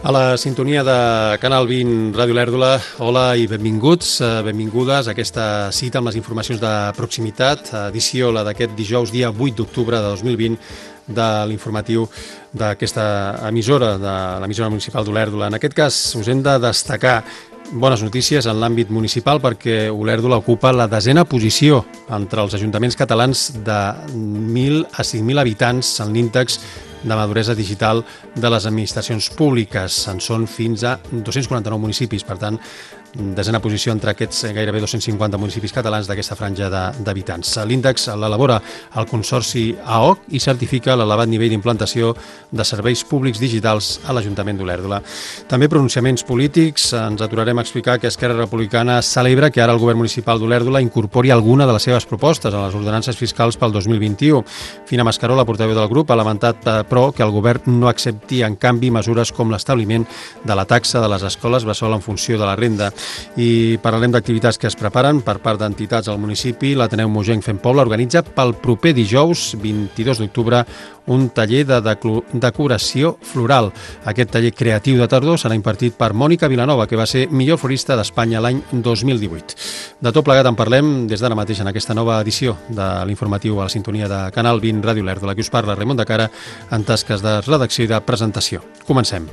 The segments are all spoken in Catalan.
A la sintonia de Canal 20 Ràdio Lèrdula, hola i benvinguts, benvingudes a aquesta cita amb les informacions de proximitat, edició la d'aquest dijous, dia 8 d'octubre de 2020, de l'informatiu d'aquesta emissora, de l'emissora municipal d'Olèrdola. En aquest cas us hem de destacar bones notícies en l'àmbit municipal perquè Olèrdola ocupa la 10a posició entre els ajuntaments catalans de 1.000 a 5.000 habitants en l'índex de maduresa digital de les administracions públiques. En són fins a 249 municipis, per tant, 10a posició entre aquests gairebé 250 municipis catalans d'aquesta franja d'habitants. L'índex l'elabora el Consorci AOC i certifica l'elevat nivell d'implantació de serveis públics digitals a l'Ajuntament d'Olèrdola. També pronunciaments polítics. Ens aturarem a explicar que Esquerra Republicana celebra que ara el govern municipal d'Olèrdola incorpori alguna de les seves propostes a les ordenances fiscals pel 2021. Fina Mascaró, la portaveu del grup, ha lamentat, però, que el govern no accepti, en canvi, mesures com l'establiment de la taxa de les escoles bressol en funció de la renda. I parlarem d'activitats que es preparen per part d'entitats al municipi. L'Ateneu Mogenc Fem Poble organitza pel proper dijous, 22 d'octubre, un taller de decoració floral. Aquest taller creatiu de tardor serà impartit per Mònica Vilanova, que va ser millor florista d'Espanya l'any 2018. De tot plegat en parlem des d'ara mateix en aquesta nova edició de l'informatiu a la sintonia de Canal 20 Ràdio Lèrdula. Qui us parla, Raimon de Cara, en tasques de redacció i de presentació. Comencem.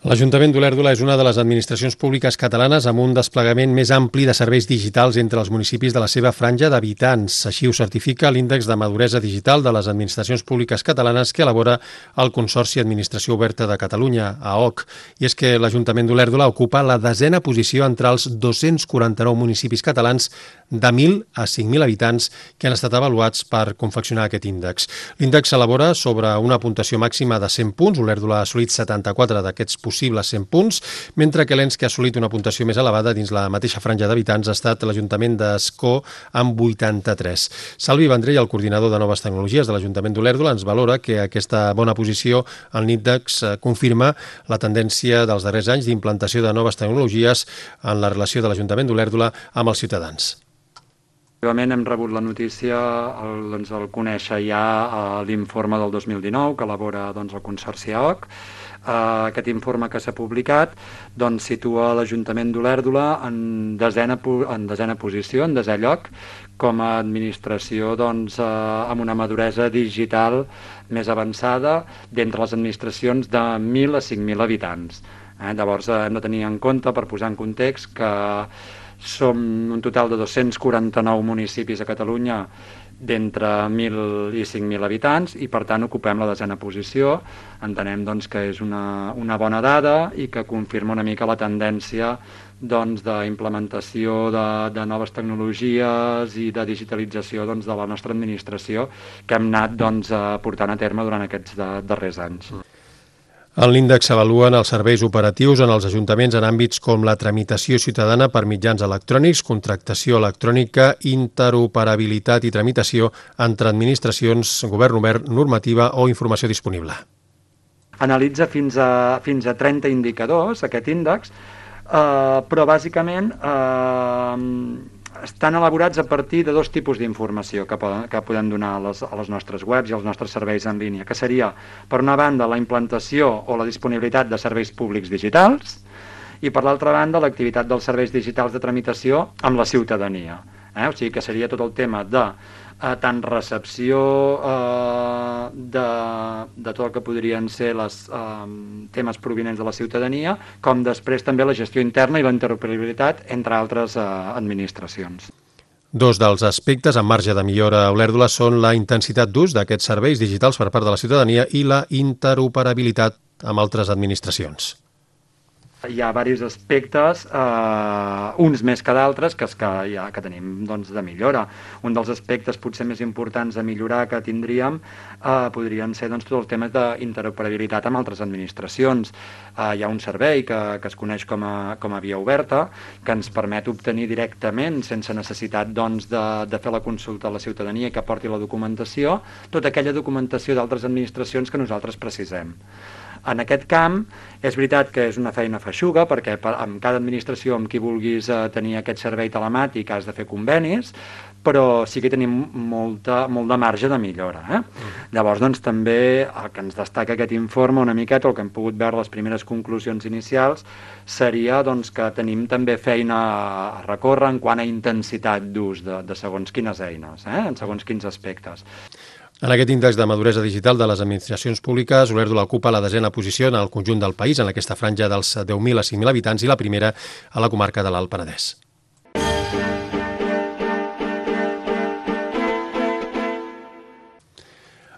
L'Ajuntament d'Olèrdola és una de les administracions públiques catalanes amb un desplegament més ampli de serveis digitals entre els municipis de la seva franja d'habitants. Així ho certifica l'índex de maduresa digital de les administracions públiques catalanes que elabora el Consorci Administració Oberta de Catalunya, AOC. I és que l'Ajuntament d'Olèrdola ocupa la 10a posició entre els 249 municipis catalans de 1.000 a 5.000 habitants que han estat avaluats per confeccionar aquest índex. L'índex s'elabora sobre una puntuació màxima de 100 punts. Olèrdola ha assolit 74 d'aquests possibles 100 punts, mentre que l'ens que ha assolit una puntuació més elevada dins la mateixa franja d'habitants ha estat l'Ajuntament d'Ascó amb 83. Salvi Vendrell, el coordinador de noves tecnologies de l'Ajuntament d'Olèrdola, ens valora que aquesta bona posició en l'índex confirma la tendència dels darrers anys d'implantació de noves tecnologies en la relació de l'Ajuntament d'Olèrdola amb els ciutadans. Efectivament, hem rebut la notícia, el conèixer ja l'informe del 2019 que elabora el Consorci AOC. Aquest informe que s'ha publicat situa l'Ajuntament d'Olèrdola en desena posició, en desè lloc, com a administració amb una maduresa digital més avançada d'entre les administracions de 1.000 a 5.000 habitants. Llavors hem de tenir en compte, per posar en context, que som un total de 249 municipis a Catalunya d'entre 1.000 i 5.000 habitants i per tant ocupem la 10a posició. Entenem que és una bona dada i que confirma una mica la tendència d'implementació de noves tecnologies i de digitalització de la nostra administració que hem anat portant a terme durant aquests darrers anys. En l'índex s'avaluen els serveis operatius en els ajuntaments en àmbits com la tramitació ciutadana per mitjans electrònics, contractació electrònica, interoperabilitat i tramitació entre administracions, govern obert, normativa o informació disponible. Analitza fins a 30 indicadors, aquest índex, però bàsicament estan elaborats a partir de dos tipus d'informació que podem donar a les nostres webs i als nostres serveis en línia, que seria, per una banda, la implantació o la disponibilitat de serveis públics digitals i, per l'altra banda, l'activitat dels serveis digitals de tramitació amb la ciutadania. O sigui que seria tot el tema de tant recepció de tot el que podrien ser els temes provinents de la ciutadania, com després també la gestió interna i la interoperabilitat entre altres administracions. Dos dels aspectes en marge de millora a Olèrdola són la intensitat d'ús d'aquests serveis digitals per part de la ciutadania i la interoperabilitat amb altres administracions. Hi ha diversos aspectes, uns més que d'altres, que tenim de millora. Un dels aspectes potser més importants a millorar que tindríem podrien ser tots els temes d'interoperabilitat amb altres administracions. Hi ha un servei que es coneix com a via oberta, que ens permet obtenir directament, sense necessitat de fer la consulta a la ciutadania que aporti la documentació, tota aquella documentació d'altres administracions que nosaltres precisem. En aquest camp és veritat que és una feina feixuga perquè amb cada administració amb qui vulguis tenir aquest servei telemàtic has de fer convenis, però sí que tenim molt de marge de millora. Llavors, doncs, també el que ens destaca aquest informe una miqueta, el que hem pogut veure les primeres conclusions inicials, seria doncs, que tenim també feina a recórrer en quant a intensitat d'ús de segons quines eines, en segons quins aspectes. En aquest índex de maduresa digital de les administracions públiques, Olèrdola ocupa la 10a posició en el conjunt del país, en aquesta franja dels 10.000 a 5.000 habitants, i la primera a la comarca de l'Alt Penedès.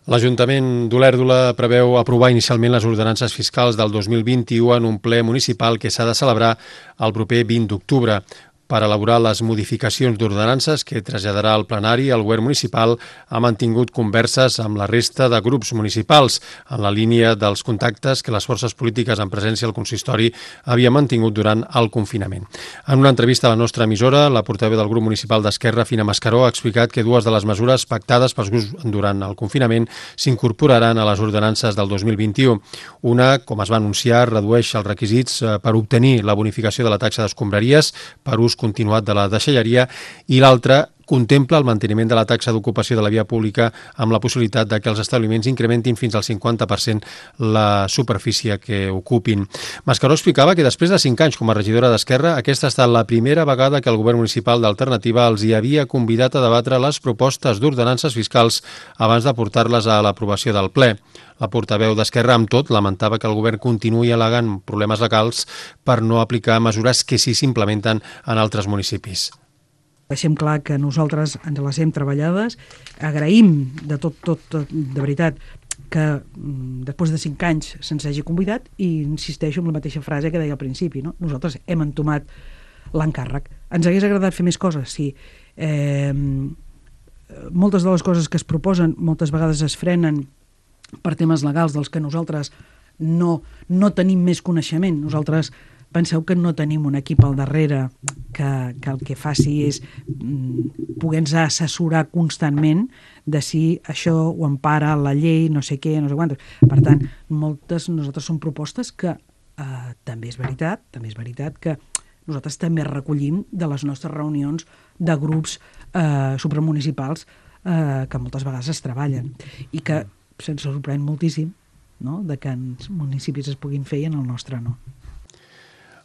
L'Ajuntament d'Olèrdola preveu aprovar inicialment les ordenances fiscals del 2021 en un ple municipal que s'ha de celebrar el proper 20 d'octubre. Per elaborar les modificacions d'ordenances que traslladarà al plenari, el govern municipal ha mantingut converses amb la resta de grups municipals en la línia dels contactes que les forces polítiques en presència al consistori havien mantingut durant el confinament. En una entrevista a la nostra emissora, la portaveu del grup municipal d'Esquerra, Fina Mascaró, ha explicat que dues de les mesures pactades pels grups durant el confinament s'incorporaran a les ordenances del 2021. Una, com es va anunciar, redueix els requisits per obtenir la bonificació de la taxa d'escombraries per ús continuat de la deixalleria, i l'altra contempla el manteniment de la taxa d'ocupació de la via pública amb la possibilitat de que els establiments incrementin fins al 50% la superfície que ocupin. Mascaró explicava que després de 5 anys com a regidora d'Esquerra, aquesta ha estat la primera vegada que el govern municipal d'Alternativa els hi havia convidat a debatre les propostes d'ordenances fiscals abans de portar-les a l'aprovació del ple. La portaveu d'Esquerra, amb tot, lamentava que el govern continuï al·legant problemes legals per no aplicar mesures que sí s'implementen en altres municipis. Deixem clar que nosaltres ens les hem treballades, agraïm de tot, de veritat, que després de 5 anys se'ns hagi convidat, i insisteixo en la mateixa frase que deia al principi, no? Nosaltres hem entomat l'encàrrec. Ens hagués agradat fer més coses, sí. Moltes de les coses que es proposen moltes vegades es frenen per temes legals dels que nosaltres no tenim més coneixement. Nosaltres penseu que no tenim un equip al darrere que el que faci és poder-nos assessorar constantment de si això ho empara la llei, no sé què, no sé quantes. Per tant, nosaltres són propostes que també és veritat que nosaltres també recollim de les nostres reunions de grups supramunicipals que moltes vegades es treballen i que se'ns sorprèn moltíssim, no?, de que en municipis es puguin fer i en el nostre no.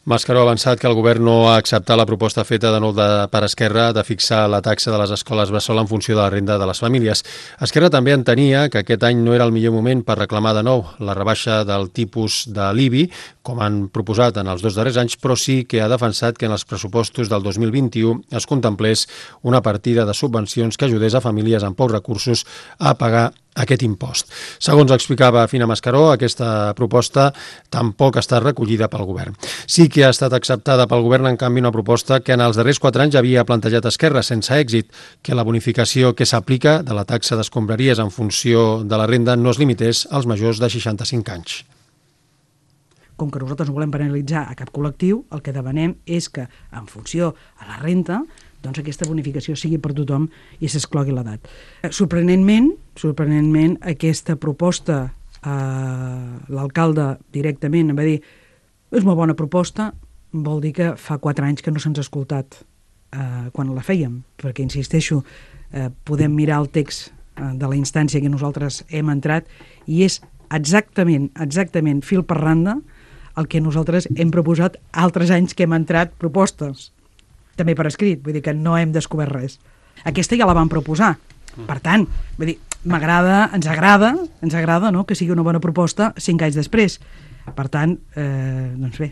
Mascaró ha avançat que el govern no ha acceptat la proposta feta de nou per Esquerra de fixar la taxa de les escoles bressol en funció de la renda de les famílies. Esquerra també entenia que aquest any no era el millor moment per reclamar de nou la rebaixa del tipus de l'IBI, com han proposat en els 2 darrers anys, però sí que ha defensat que en els pressupostos del 2021 es contemplés una partida de subvencions que ajudés a famílies amb pocs recursos a pagar aquest impost. Segons explicava Fina Mascaró, aquesta proposta tampoc està recollida pel govern. Sí que ha estat acceptada pel govern, en canvi, una proposta que en els darrers 4 anys havia plantejat Esquerra sense èxit, que la bonificació que s'aplica de la taxa d'escombraries en funció de la renda no es limités als majors de 65 anys. Com que nosaltres no volem penalitzar a cap col·lectiu, el que demanem és que, en funció a la renta, doncs aquesta bonificació sigui per tothom i s'exclogui l'edat. Sorprenentment, aquesta proposta, l'alcalde directament em va dir és una bona proposta, vol dir que fa 4 anys que no se'ns ha escoltat quan la fèiem, perquè, insisteixo, podem mirar el text de la instància que nosaltres hem entrat i és exactament fil per randa el que nosaltres hem proposat altres anys que hem entrat propostes, també per escrit, vull dir que no hem descobert res. Aquesta ja la vam proposar. Per tant, vull dir, ens agrada, no?, que sigui una bona proposta 5 anys després. Per tant, doncs bé,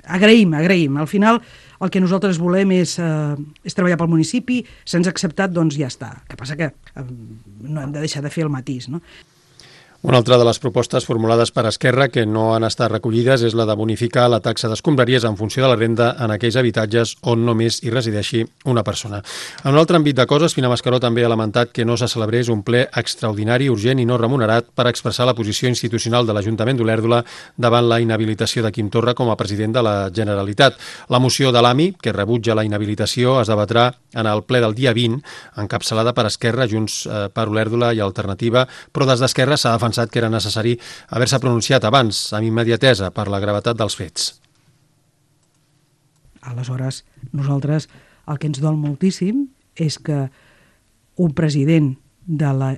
agraïm. Al final, el que nosaltres volem és treballar pel municipi, se'ns ha acceptat, doncs ja està. El que passa que no hem de deixar de fer el matís, no? Una altra de les propostes formulades per Esquerra que no han estat recollides és la de bonificar la taxa d'escombraries en funció de la renda en aquells habitatges on només hi resideixi una persona. En un altre àmbit de coses, Fina Mascaró també ha lamentat que no se celebrés un ple extraordinari, urgent i no remunerat per expressar la posició institucional de l'Ajuntament d'Olèrdola davant la inhabilitació de Quim Torra com a president de la Generalitat. La moció de l'AMI, que rebutja la inhabilitació, es debatrà en el ple del dia 20, encapçalada per Esquerra, Junts per Olèrdola i Alternativa, però des d'Esquerra s'ha defensat defensat que era necessari haver-se pronunciat abans, amb immediatesa, per la gravetat dels fets. Aleshores, nosaltres el que ens dol moltíssim és que un president de la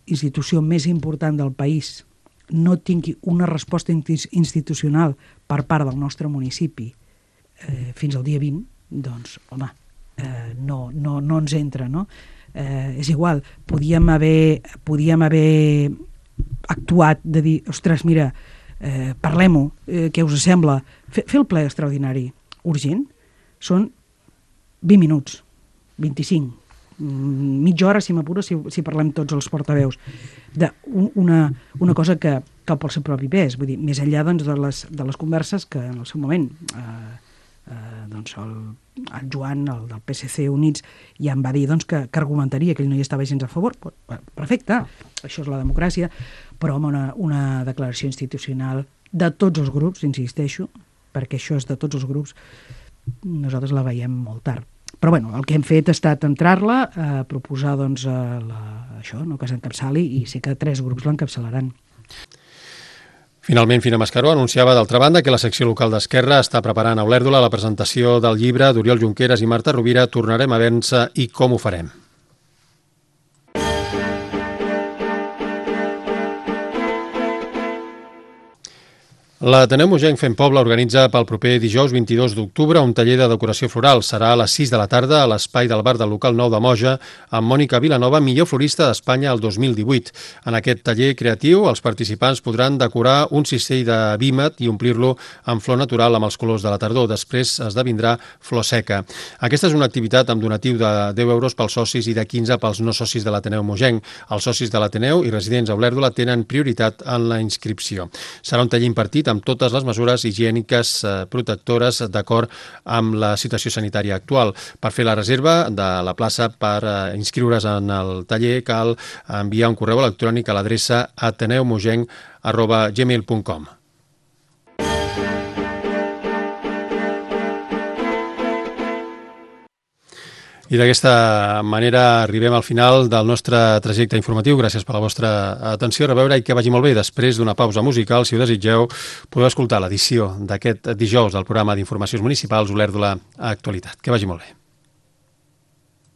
institució més important del país no tingui una resposta institucional per part del nostre municipi fins al dia 20, doncs, home, no ens entra, no? És igual, podíem haver actuat de dir, ostres, mira, parlem-ho, què us sembla? Fer el ple extraordinari urgent són 20 minuts, 25, mitja hora, si m'apures, si parlem tots els portaveus, una cosa que pel seu propi pes, vull dir, més enllà doncs, de les converses que en el seu moment doncs el Joan, el del PSC Units, ja em va dir doncs, que argumentaria que ell no hi estava gens a favor. Perfecte, això és la democràcia, però home, una declaració institucional de tots els grups, insisteixo, perquè això és de tots els grups, nosaltres la veiem molt tard. Però bueno, el que hem fet ha estat entrar-la, proposar doncs, això, no, que s'encapçali, i sé que 3 grups l'encapçalaran. Finalment, Fina Mascaró anunciava, d'altra banda, que la secció local d'Esquerra està preparant a Olèrdola la presentació del llibre d'Oriol Junqueras i Marta Rovira, Tornarem a vèncer i com ho farem. L'Ateneu Mogenc Fem Poble organitza pel proper dijous 22 d'octubre un taller de decoració floral. Serà a les 6 de la tarda a l'espai del bar del local 9 de Moja amb Mònica Vilanova, millor florista d'Espanya el 2018. En aquest taller creatiu, els participants podran decorar un cistell de vímet i omplir-lo amb flor natural amb els colors de la tardor. Després esdevindrà flor seca. Aquesta és una activitat amb donatiu de 10 euros pels socis i de 15 pels no socis de l'Ateneu Mogenc. Els socis de l'Ateneu i residents a Olèrdola tenen prioritat en la inscripció. Serà un taller impartit amb totes les mesures higièniques protectores d'acord amb la situació sanitària actual. Per fer la reserva de la plaça per inscriure's en el taller cal enviar un correu electrònic a l'adreça ateneumogenc@gmail.com. I d'aquesta manera arribem al final del nostre trajecte informatiu. Gràcies per la vostra atenció. A reveure i que vagi molt bé. Després d'una pausa musical, si ho desitgeu, podeu escoltar l'edició d'aquest dijous del programa d'informacions municipals Olèrdola Actualitat. Que vagi molt bé.